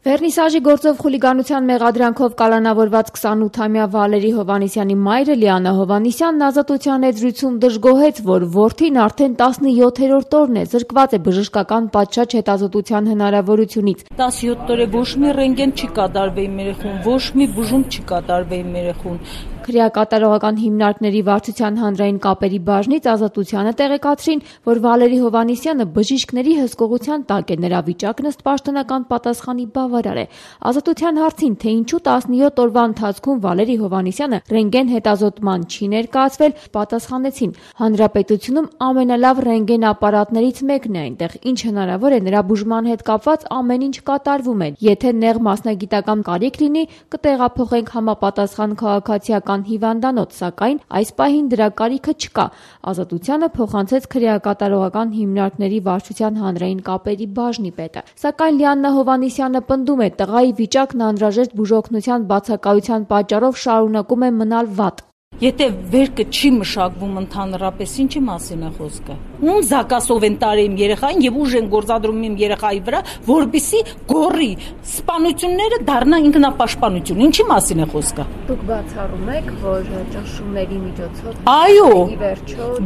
Վերնիսաժի գործով խուլիգանության մեղադրանքով կալանավորված 28-ամյա Վալերի Հովհաննիսյանի մայրը Լիանա Հովհաննիսյանն ազատության եզրույցում դժգոհեց, որ որդին արդեն 17-րդ օրն է զրկված է բժշկական պատշաճ հետազոտության հնարավորությունից։ 17 օր է ոչ մի ռենտգեն չի կատարվել իմ երեխուն, ոչ մի բուժում չի կատարվել իմ երեխուն։ Քրեակատարողական հիմնարկների վարչության հանրային կապերի բաժնից Ազատությանը տեղեկացրին, որ Վալերի Հովհաննիսյանը բժիշկների հսկողության տակ է, նրա վիճակն ըստ պաշտոնական պատասխանի բավարար է։ Ազատության հարցին, թե ինչու 17 օրվա ընթացքում Վալերի Հովհաննիսյանը ռենտգեն հետազոտման չի ներկայացվել, պատասխանեցին. հանրապետությունում ամենալավ ռենտգեն ապարատներից մեկն է այնտեղ, ինչ հնարավոր է նրա բուժման հետ կապված ամեն ինչ կատարվում է։ Եթե նեղ մասնագիտական կարիք լինի, կտեղափոխենք համապատասխան քաղաքացիական հիվանդանոց, սակայն այս պահին դրա կարիքը չկա։ Ազատությանը փոխանցեց քրեակատարողական հիմնարկների վարչության հանրային կապերի բաժնի պետը։ Սակայն Լիանա Հովհաննիսյանը պնդում է, տղայի վիճակն անհրաժեշտ բուժօգնության բացակայության պատճառով շարունակում է մնալ վատ։ Եթե վերքը չի մշակվում ընդհանրապես, ինչի մասին է խոսքը։ Ում զակասով են տարել իմ երեխային եւ ուժ են գործադրում իմ երեխայի վրա, որպեսզի գորի սպանությունները դառնա ինքնապաշտպանություն։ Ինչի մասին է խոսքը։ Դուք բացառում եք, որ ճնշումների միջոցով Այո,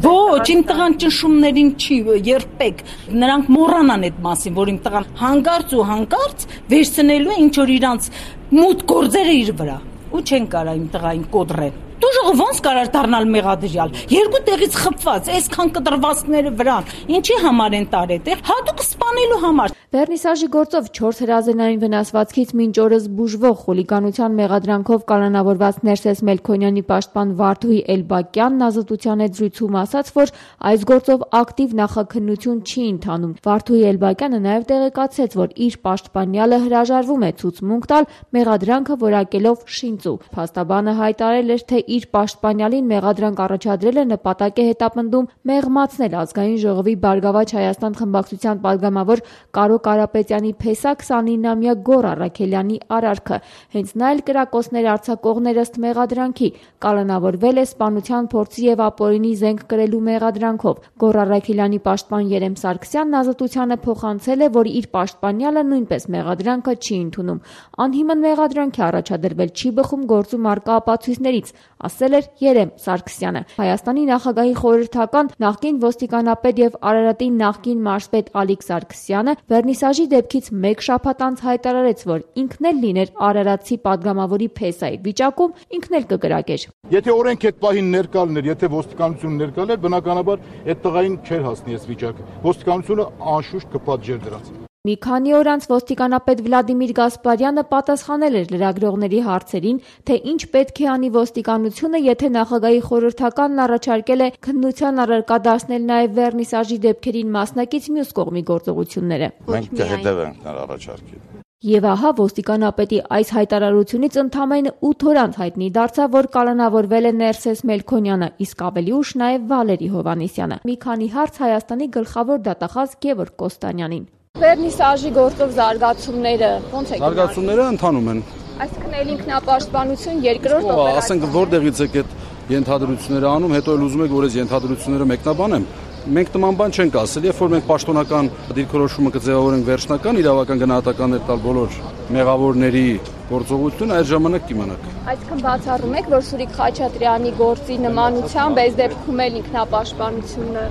ոչ, իմ տղան ճնշումներին չի երբեք։ Նրանք մոռանան այդ մասին, որ իմ տղան հանկարծ ու հանկարծ վերցնելու է ինչ որ իրանց մութ գործերը իր վրա։ Ու չեն կարա իմ տղային կոտրեն։ Դուժողը ոնց կարար դառնալ մեղադրյալ։ Երկու տեղից խփված, այսքան կտրվածքները վրան։ Ինչի համար են տարել, հատուկ սպանելու համար։ Վերնիսաժի գործով 4 հրազենային վնասվածքից մինչ օրս բուժվող խուլիգանության մեղադրանքով կալանավորված Ներսես Մելքոնյանի պաշտպան Վարդուհի Էլբակյանն ազատության հետ զրույցում ասաց, որ այս գործով ակտիվ նախաքննություն չի ընթանում։ Վարդուհի Էլբակյանը նաև տեղեկացրեց, որ իր պաշտպանյալը հրաժարվում է ցուցմունք տալ մեղադրանքը որակելով շինծու։ Փաստաբանը հայտարարել էր, թե իր պաշտպանյալին մեղադրանք առաջադրելը նպատակ է հետապնդում մեղմացնել Ազգային ժողովի Բարգավաճ Հայաստան խմբակցության падգամավոր Կարո Կարապետյանի փեսա 29-ամյա Գոռ Առաքելյանի արարքը։ Հենց նա էլ կրակոցներ արձակողներ ըստ մեղադրանքի կալանավորվել է սպանության փորձի եւ ապօրինի զենք կրելու մեղադրանքով։ Գոռ Առաքելյանի պաշտպան Երեմ Սարգսյանն ազատությանը փոխանցել է, որ իր պաշտպանյալը նույնպես մեղադրանքը չի ընդունում։ Անհիմն մեղադրանք է առաջադրվել, չի բխում գործում առկա ապացույցներից, ասել էր Երեմ Սարգսյանը։ Հայաստանի նախագահի խորհրդական, նախկին ոստիկանապետ եւ Արարատի նախկին մարզպետ Ալիկ Սարգսյանը Վերնիսաժի դեպքից մեկ շաբաթ անց հայտարարեց, որ ինքն էլ լիներ Արարատցի падգամավորի փեսայի վիճակում, ինքն էլ կկրակեր։ Եթե օրենք այդ պահին ներկա լիներ, եթե ոստիկանությունը ներկա լիներ, բնականաբար այդ տղային չէր հասնի այս վիճակը։ Ոստիկանությունը անշուշտ կպատժեր դրանց։ Մի քանի օր անց ոստիկանապետ Վլադիմիր Գասպարյանը պատասխանել էր լրագրողների հարցերին, թե ինչ պետք է անի ոստիկանությունը, եթե նախագահի խորհրդականն առաջարկել է քննության առարկա դարձնել նաև Վերնիսաժի դեպքերին մասնակից մյուս կողմի գործողությունները։ Մենք կհետևենք նրա առաջարկին։ Եվ ահա ոստիկանապետի այս հայտարարությունից ընդամենը 8 օր անց հայտնի դարձավ, որ կալանավորվել է Ներսես Մելքոնյանը, իսկ ավելի ուշ նաև Վալերի Հովհաննիսյանը։ Մի քանի հարց Հայաստանի գլխավոր դատախազ Գևորգ Կոստանյանին։ Վերնիսաժի գործով զարգացումները ո՞նց է գնալու։ Զարգացումները ընթանում են։ Այսինքն էլ ինքնապաշտպանություն երկրորդ օպերացիա։ Ասենք որտեղից եք այդ ենթադրությունները անում, հետո էլ ուզում եք որ այս ենթադրությունները մեկնաբանեմ։ Մենք նման բան չենք ասել, երբ որ մենք պաշտոնական դիրքորոշումը կձևավորենք վերջնական իրավական գնահատականներ տալ բոլոր մեղավորների գործողությունը, այդ ժամանակ կիմանաք։ Այսինքն բացառում եք, որ Սուրիկ Խաչատրյանի գործի նմանությամբ այս դեպքում էլ ինքնապաշտպանությունը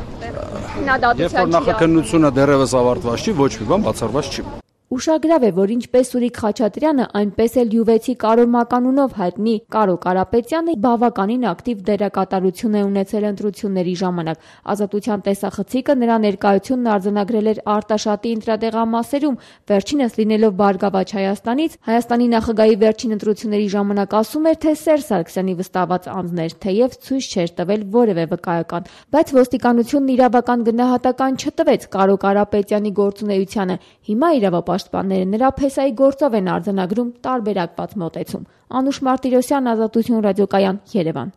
քննադատության չի։ Երբ որ նախաքննությունը դեռևս ավարտված չի, ոչ մի բան բացառված չի։ Ուշագրավ է, որ ինչպես Սուրիկ Խաչատրյանը, այնպես էլ յուվեցի Կարո Մականունով հայտնի Կարո Կարապետյանը բավականին ակտիվ դերակատարություն է ունեցել ընտրությունների ժամանակ։ Ազատության տեսախցիկը նրա ներկայությունն արձանագրել էր Արտաշատի ընտրատեղամասերում, վերջինս լինելով Բարգավաճ Հայաստանից, Հայաստանի նախագահի վերջին ընտրությունների ժամանակ ասում էր, թե Սերժ Սարգսյանի վստահված անձն էր, թեև ցույց չէր տվել որևէ վկայական, բայց ոստիկանությունն իրավական գնահատական չտվեց Կարո Կարապետյանի գործունեությանը։ Հիմա իրավապաշտպանները նրա փեսայի գործով են արձանագրում տարբերակված մոտեցում։ Անուշ Մարտիրոսյան, Ազատություն ռադիոկայան, Երևան։